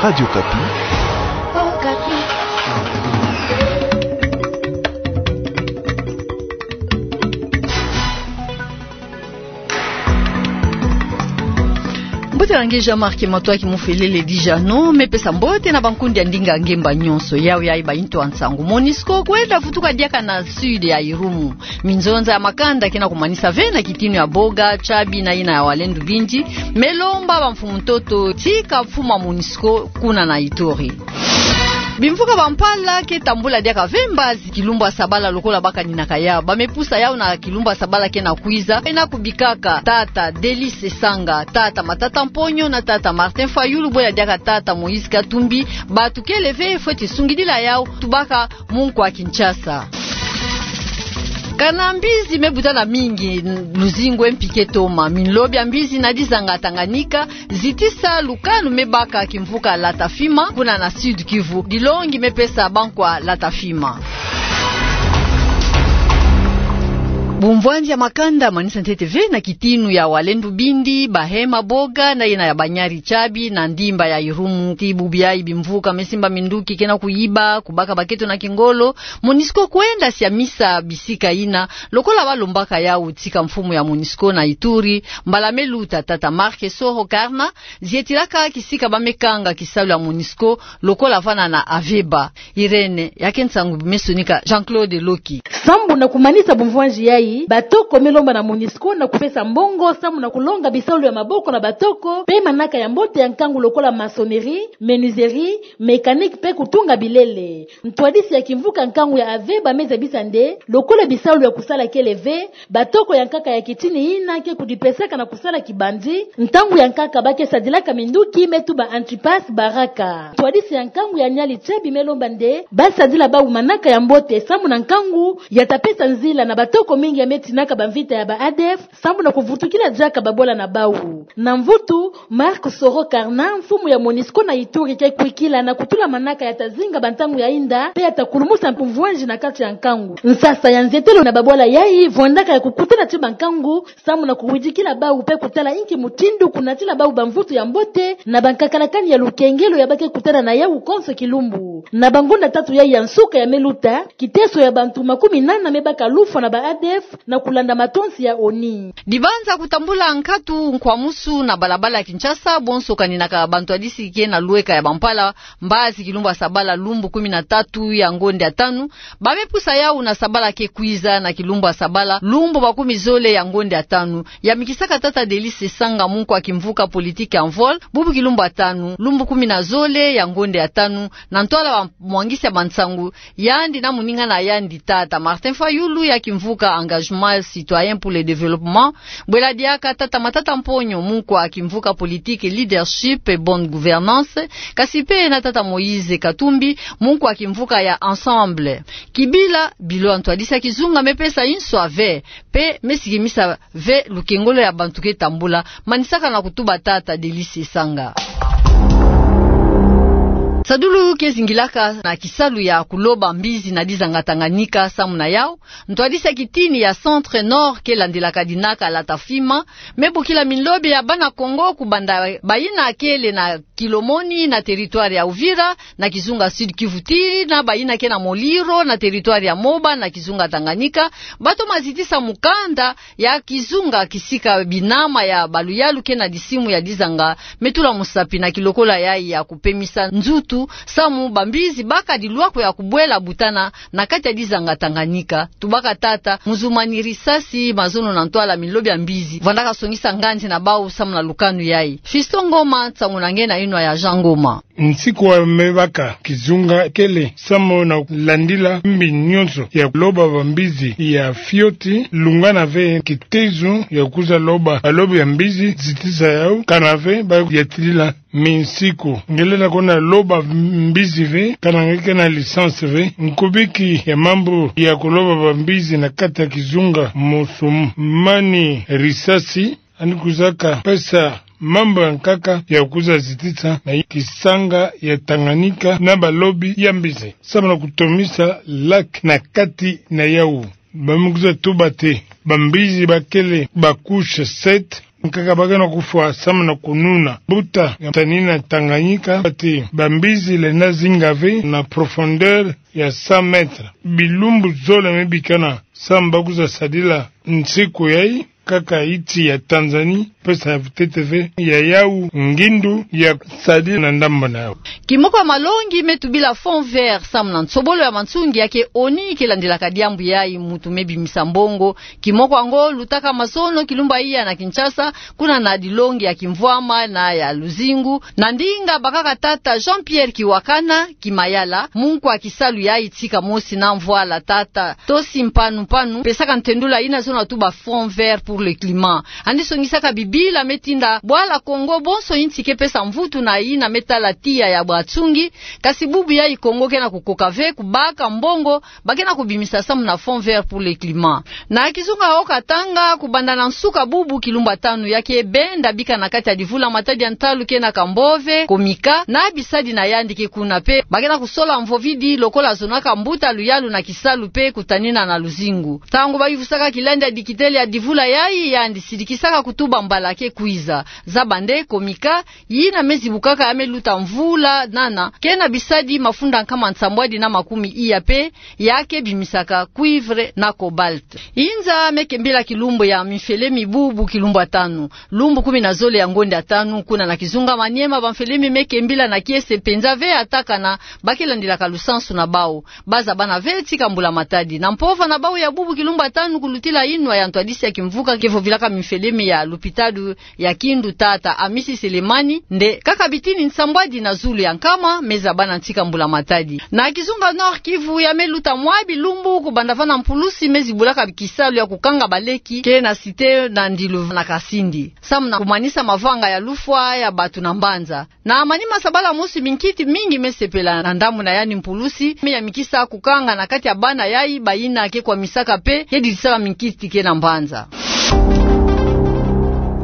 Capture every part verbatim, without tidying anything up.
Radio Kapi. Mbote ya nge Jean-Marc Matoaki Mufelele Dijano, me pesa mbote na bankundi ya ndinga ngemba nyonso. Yawe yayi ba into ya nsangu. Monusco kwenda vutuka diaka na sud ya Irumu. Minzonza ya makanda ke na kumanisa ve na kitinu ya Boga, Tchabi na yina ya Walendu Bindi, me lomba bamfumu ntoto tika mfumu ya Monusco kuna na Ituri. Bimvuka Bampala ke tambula diaka ve mbazi kilumbu ya sabala lokola ba kaninaka yawu. Ba me pusa yawu na kilumbu ya sabala ke na kwiza, ena kubikaka tata Delice Sanga, tata Matata Mponyo na tata Martin Fayulu, bwela diaka tata Moïse Katumbi, bato kele ve fweti sungidila yawu, tubaka mu nkwa Kinshasa. Kana mbizi me butana mingi luzingu e mpi ke toma. Minlobi ya mbizi na dizanga Tanganyika zitisa lukanu me baka kimvuka Latafima, kuna na Sud-Kivu. Dilongi me pesa bankwa Latafima. Bumvwanzi ya makanda manisa ntete ve na kitinu ya Walendu Bindi, Bahema Boga, na yina ya Banyari Tchabi, na ndimba ya Irumu. Ti bubu yayi bimvuka me simba minduki ke na kuyiba, kubaka baketo na kingolo. Monusco kwenda siamisa bisika yina, lokola ba lombaka yawu tika mfumu ya Monusco na Ituri, mbala me luta tata Marc Soro Karna, zietilaka kisika ba me kanga kisalu ya Monusco, lokola vana na Aveba. Irène, ya ke nsangu me sonika Jean-Claude Loki. Sambu na kumanisa bumvwanzi yayi, batoko me lomba na Monusco na kupesa mbongo, sambu na kulonga bisalu ya maboko na batoko, pe manaka ya mbote ya nkangu lokola maçonnerie, menuiserie, mécanique pe kutunga bilele. Ntwadisi ya kimvuka nkangu ya Aveba me zabisa nde, lokola bisalu ya kusala kele ve, batoko ya nkaka ya kitini yina ke kudipesaka na kusala kibandi, ntangu ya nkaka ba ke sadilaka minduki me tuba antipas baraka. Ntwadisi ya nkangu ya Niari Tchabi me lomba nde, ba sadila bawu manaka ya mbote sambu na nkangu ya ta pesa nzila na batoko mingi ya me tinaka bamvita ya ba A D F, sambu na kuvutukila diaka babwala na bawu. Na mvutu, Marc Soro Karna, mfumu ya Monusco na Ituri ke kwikila na kutula manaka ya ta zinga bantangu ya inda, pe ya ta kulumusa bumvwanzi na kati ya nkangu. Nsasa ya nzietelo na babwala yayi, vwandaka ya kukutana ti bankangu, sambu na kuwidikila bawu pe kutala inki mutindu kunatila bawu bamvutu ya mbote, na bankakalakani ya lukengelo ya ba ke kutana na yawu konso kilumbu. Na bangonda tatu yayi ya nsuka ya me luta, kiteso ya bantu makumi nana me baka lufwa na ba A D F, na kulanda matonsi ya ONU. Dibanza kutambula nkatu nkwamusu na balabala ya Kinshasa, bonso kaninaka bantwadisi ke na lweka ya Bampala, mbazi kilumbu ya sabala lumbu kumi na tatu ya ngonde ya tanu, ba me pusa yawu na sabala ke kwiza na kilumbu ya sabala lumbu makumi zole ya ngonde ya tanu, ya mikisaka tata Delice Sanga mu nkwa kimvuka politique Envol, bubu kilumbu ya tanu, lumbu kumi na zole ya ngonde ya tanu, na ntwala ba mwangisi ya bansangu, yandi na moninga na yandi tata Martin Fayulu ya kimvuka Engagement Citoyen pour le Développement, bwela diaka tata Matata Mponyo mu nkwa kimvuka politique Leadership et Bonne Gouvernance, kasi pe na tata Moïse Katumbi mu nkwa kimvuka ya Ensemble. Kibila, bilo ya ntwadisi ya kizunga me pesa inso ya ve, pe me sikimisa ve lukengolo ya bantu ke tambula, manisaka na kutuba tata Delice Sanga. Sadulu ke zingilaka na kisalu ya kuloba mbizi na dizanga Tanganyika, samu na yawu, ntwadisi ya kitini ya Centre Nord ke landilaka dinaka Latafima, me bokila minlobi ya bana Kongo kubanda bayina kele na Kilomoni na territoire ya Uvira, na kizunga Sud-Kivu, tii na bayina ke na Muliro na territoire ya Moba na kizunga Tanganyika, ba toma zitisa mukanda ya kizunga kisika binama ya baluyalu ke na disimu ya dizanga me tula musapi na kilokola yayi ya kupemisa nzutu, samu bambizi baka dilwako ya kubwela butana na kati ya dizanga Tanganyika. Tubaka tata, muzumani risasi, mazono na ntwala minlobi ya mbizi, vandaka songisa nganzi na bawu samu na lukanu yayi. Fiston Ngoma, nsangu na nge na yinwa ya Jean Ngoma. Nsiku wa me baka kizunga kele samu na landila mbi nyonso ya loba bambizi ya fioti, lungana ve kitezo ya kwiza loba balobi ya mbizi, zitisa yawu, kana ve ba yatilila minsiku. Ngelenda kona loba mbizi ve, kana nge ke na licence ve. Nkubiki ya mambu ya kuloba bambizi na kati ya kizunga, muzumani risasi, yandi kwizaka pesa mambu ya nkaka ya kwiza zitisa na kisanga ya Tanganyika na balobi ya mbizi, samu na kutomisa lac na kati na yawu. Ba me kwiza tuba ti bambizi ba kele ba couche sept, Nkaka ba kena kufwa samu na kununa mbuta ya tanina Tanganyika, ati bambizi lenda zinga ve na profondeur ya cent mètres. Bilumbu zole me bikana samu ba kwiza sadila nsiku yayi, kaka iti ya Tanzanie pesa ya vutete ve ya yau ngindu ya sadila na ndambu na yau. Kimoko ya malongi me tubila Fonds Vert samu na nsobolo ya mansungi ya ke ONU ke landilaka diambu yayi, muntu me bimisa mbongo. Kimoko yango lutaka mazono kilumbu ya iya na Kinshasa, kuna na dilongi ya kimvwama na ya luzingu, na ndinga bakaka tata Jean-Pierre Kiwakana Kimayala, munkwa kisalu yayi tika mosi na mvwala tata Tosi Mpanu Mpanu, pesaka ntendula yina zona tuba Fonds Vert pour le climat. Yandi songisaka bibila me tinda bwala Kongo bonso inti ke pesa mvutu na yina me tala tiya ya bansungi, kasi bubu yayi Kongo ke na kukoka ve kubaka mbongo ba ke na kubimisa samu na Fonds Vert pour le climat. Na kizunga Haut-Katanga, kubanda na nsuka bubu kilumbu ya tanu ya ke benda bika na kati ya divula matadi ya ntalu ke na Kambove, Komika na bisadi na yandi ke kuna pe ba ke na kusola mvovidi lokola zonaka mbuta luyalu na kisalu pe kutanina na luzingu. Ntangu ba yuvusaka kilandi ya dikitele ya divula yayi, yandi sidikisaka kutuba mbala ke kwiza. Zaba nde Komika, yina me zibukaka ya me luta mvula nana, ke na bisadi mafunda nkama nsambwadi na makumi iya pe, ya ke bimisaka cuivre na cobalt. Inza me kembila kilumbu ya minfele mi bubu kilumbu ya tanu, lumbu kumi na zole ya ngonde ya tanu, kuna na kizunga Maniema, banfele mi me kembila na kiese mpenza ve, ata kana ba ke landilaka lusansu na bau. Ba zabana ve tika mbulamatadi. Na mpova na bau ya bubu kilumbu ya tanu, kulutila inwa ya ntwadisi ya kimvuka ke vovilaka minfele mi ya lupitalu ya Kindu, tata Amisi Selemani, nde kaka bitini nsambwadi na zulu ya nkama me zabana tika mbulamatadi. Na kizunga Nord-Kivu, ya me luta mwa bilumbu kubanda vana mpulusi me zibulaka kisalu ya kukanga baleki ke na site na ndilu na Kasindi, samu na kumanisa mavanga ya lufwa ya batu na mbanza. Na manima sabala mosi, minkiti mingi me sepela na ndambu na yandi mpulusi me yamikisa kukanga na kati ya bana yayi bayina ke kwamisaka pe ke dilisaka minkiti ke na mbanza.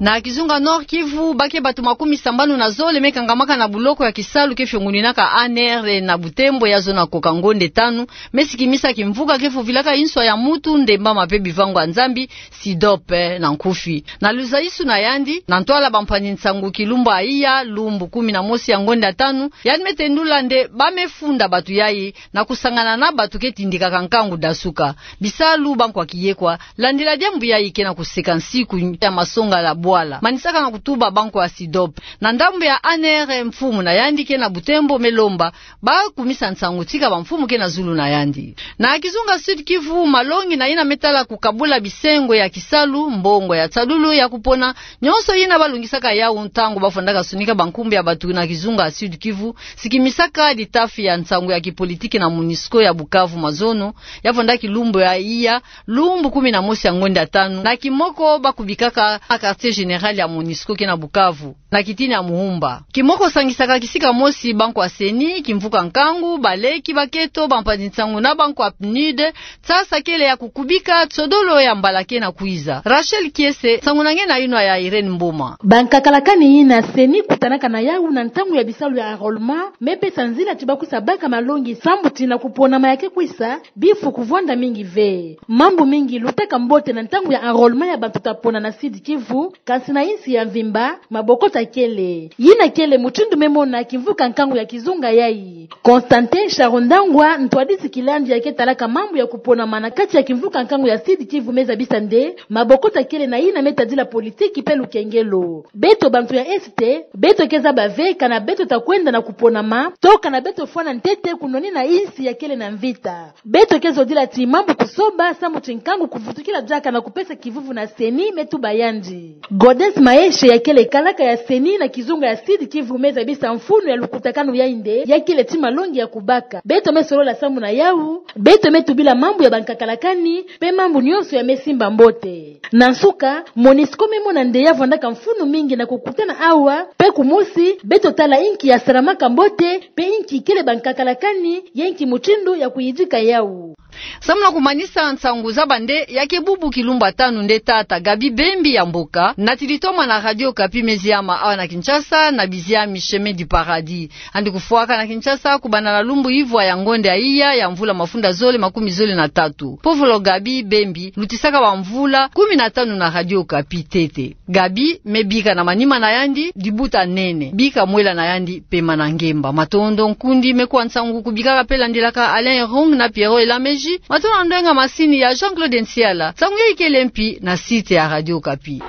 Na kizunga Nord-Kivu, ba ke batu makumi sambanu na zole me kangamaka na buloko ya kisalu ke fionguninaka A N R na Butembo, ya zona koka ngonde tanu, me sikimisa kimvuka ke vovilaka inswa ya mutu, ndembama pe bivangu ya Nzambi, SIDOP na nkufi. Na luzaisu na yandi na ntwala bampangi nsangu kilumbu ya iya, lumbu kumi na mosi ya ngonde ya tanu, yandi me tendula nde ba me funda batu yayi na kusangana na batu ke tindikaka nkangu dasuka. Bisalu bankwa kiyekwa, landila diambu yayi ke na kuseka nsiku ya masonga la bwala, manisaka na kutuba bankwa ya SIDOP. Na ndambu ya A N R, mfumu na yandi ke na Butembo me lomba ba kumisa nsangu tika bamfumu ke na zulu na yandi. Na kizunga Sud-Kivu, malongi na yina me tala kukabula bisengo ya kisalu, mbongo ya nsalulu ya kupona, nyonso yina ba longisaka yau ntangu ba fondaka sunika bankumbu ya batu na kizunga Sud-Kivu, sikimisaka litafi ya nsangu ya kipolitiki na MONUSCO ya Bukavu mazono, ya fonda kilumbu ya iya, lumbu kumi na mosi ya ngonde ya tanu, na kimoko ba kubikaka na quartier général ya MONUSCO ke na Bukavu, na kitini ya Muhumba. Kimoko sangisaka kisika mosi bankwa CENI, kimvuka nkangu, baleki, baketo, bampangi nsangu na bankwa PNUD, tsasa kele ya kukubika tsodolo ya mbala ke na kwiza. Rachel Kiese, nsangu na nge na inwa ya Irène Mboma. Bankakalakani yina CENI kutanaka na yau na ntangu ya bisalu ya enrôlement, me pesa nzila ti ba kwisa baka malongi sambu ti na kuponama ya ke kwisa, bifu kuvwanda mingi ve. Mambu mingi lutaka mbote na ntangu ya enrôlement ya bantu ta pona na Sud-Kivu, kansi na insi ya mvimba, mabokota kele. Yina kele mutindu me mona kimvuka nkangu ya kizunga yayi. Constantin Charundangwa, ntwadisi kilandi ya ke talaka mambu ya kuponama na kati ya kimvuka nkangu ya Sud-Kivu, me zabisa nde mabokota kele na yina me tadila politiki pe lukengelo. Beto bantu ya Est, beto ke zaba ve kana beto ta kwenda na kuponama, to kana beto fwana ntete kunwanina insi ya kele na mvita. Beto ke zodila ti mambu kusoba, sambu ti nkangu kuvutukila diaka na kupesa kivuvu na CENI, me tuba yandi. Gaudens Maeshe, ya kele kalaka ya CENI na kizunga ya Sud-Kivu, me zabisa mfunu ya lukutakanu yayi nde ya kele ti malongi ya kubaka. Beto me solola sambu na yau, beto me tubila mambu ya bankakalakani, pe mambu nyonso ya me simba mbote. Na nsuka, MONUSCO me mona nde ya vwandaka mfunu mingi na kukutana awa, pe kumosi, beto tala inki ya salamaka mbote, pe inki kele bankakalakani, ye inki mutindu ya kuyidika yau. Samu na kumanisa nsangu za bande, ya ke bubu kilumbu tanu nde tata Gaby Bembi ya Mboka natili toma na Radio Okapi meziama awa na Kinshasa na biziami Chemin du Paradis. Yandi kufwaka na Kinshasa kubanda na lumbu ivwa ya ngonde ya iya ya mvula mafunda zole makumi zole na tatu. Povolo Gaby Bembi lutisaka bamvula kumi na tanu na Radio Okapi ntete. Gaby me bika na manima na yandi dibuta nene, bika mwela na yandi pema na ngemba. Matondo, nkundi, me kwa nsangu kubikaka mpe landilaka Alain Rung na Pierrot Elameji. Matondo na ndwenga masini ya Jean-Claude Nsiala. Nsangu ya ikele mpi na site ya Radio Okapi.